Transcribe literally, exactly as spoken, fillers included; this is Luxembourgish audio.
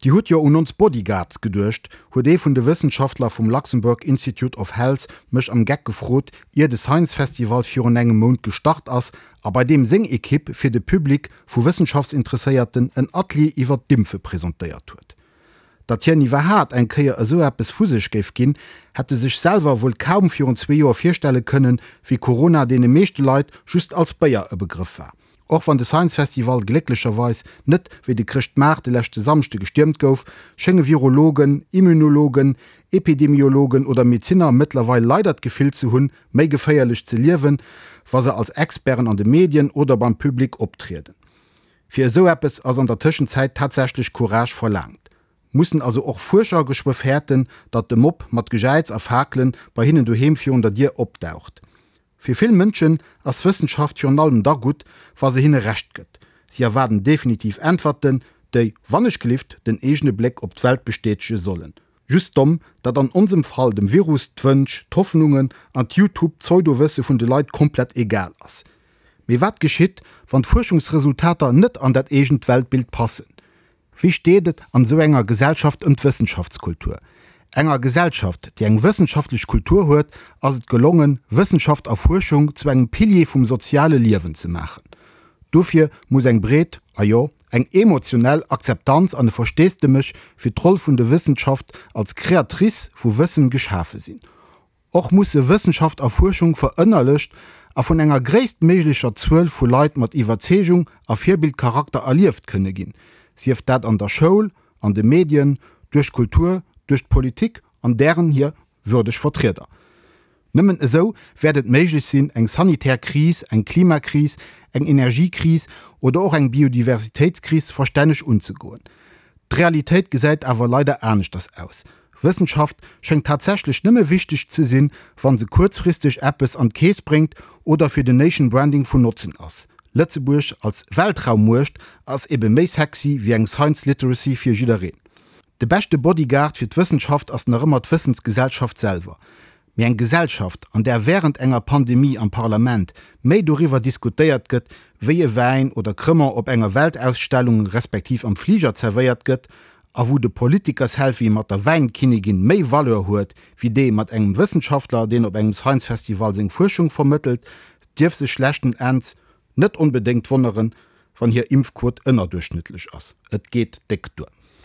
Dir hutt jo un ons Bodyguards geduecht, huet ee vun de Wëssenschaftler vum Luxembourg Institute of Health mech am Geck gefrot, ier de Science Festival virun engem Mount gestart ass a bei deem seng Ekipp fir de Public vu Wëssenschaftsinteresséierten en Atelier iwwer d'Impfe presentéiert huet. Datt hien iwwerhaat eng Kéier esou eppes vu sech géif ginn, hätt e sech selwer wuel kaum virun zwee Joer virstelle kënnen, wéi Corona deene meeschte Leit just als Béier e Begrëff war. Och wann de Science Festival glécklecherweis net wéi de Chrëschtmaart de leschte Samschde gestiermt gouf, schénge Virologen, Immunologen, Epidemiologen oder Medezinner mëttlerweil leider d'Gefill ze hunn, méi geféierlech ze liewen, wa se als Experten an de Medien oder beim Public optrieden. Fir esou eppes ass an der Tëschenzäit tatsächlech Courage verlaangt. Mussen also och Fuerscher geschwë fäerten, datt de Mob mat Gejäiz a Fakelen bei hinnen doheem virun der Dier opdaucht? Fir vill Mënschen ass Wëssenschaft virun allem da gutt, wa se hinne Recht gëtt. Si erwaarden definitiv Äntwerten, déi, wannechgelift, den eegene Bléck op d'Welt bestätege sollen. Just domm, datt an onsem Fall dem Virus d'Wënsch, d'Hoffnungen an d'Youtube-Pseudowësse vun de Leit komplett egal ass. Mee wat geschitt, wann d'Fuerschungsresultater net an dat eegent Weltbild passen? Wéi steet et an esou enger Gesellschaft ëm d'Wëssenschaftskultur? Enger Gesellschaft, déi eng wëssenschaftlech Kultur huet, ass et gelongen, Wëssenschaft a Fuerschung zu engem Pilier vum soziale Liewen ze maachen. Dofir muss eng breet, a jo, eng emotionell Akzeptanz an e Versteesdemech fir d'Roll vun der Wëssenschaft als Créatrice vu Wëssen geschafe sinn. Och musse Wëssenschaft a Fuerschung verënnerlecht a vun enger gréisstméiglecher Zuel vu Leit mat Iwwerzeegung a Virbildcharakter erlieft kënne ginn, sief dat an der Schoul, an de Medien, duerch d'Kultur, duerch d'Politik an dären hir würdeg Vertrieder. Nëmmen esou wäert et méiglech sinn, eng sanitär Kris, eng Klimakris, eng Energiekris oder och eng Biodiversitéitskris verstänneg unzegoen. D'Realitéit gesäit awer leider aneschters aus. Wëssenschaft schéngt tatsächlech nëmme wichteg ze sinn, wa se kuerzfristeg eppes an d'Keess bréngt oder fir den Nation Branding vun Notzen ass. Lëtzebuerg als Weltraummuecht ass ebe méi sexy wéi eng Science Literacy fir jiddereen. De beschte Bodyguard fir d'Wëssenschaft ass nach ëmmer d'Wëssensgesellschaft selwer. Mee eng Gesellschaft, an där wärend enger Pandemie am Parlament méi doriwwer diskutéiert gëtt, wéi e Wäin oder Cremant op enger Weltausstellung respektiv am Fliger zerwéiert gëtt, a wou de Politiker-Selfie mat der Wäinkinnigin méi Valeur huet wéi dee mat engem Wëssenschaftler, deen op engem Science Festival seng Fuerschung vermëttelt, dierf sech leschten Enns net onbedéngt wonneren, wann hir Impfquot ënnerduerchschnëttlech ass. Et geet déck duer.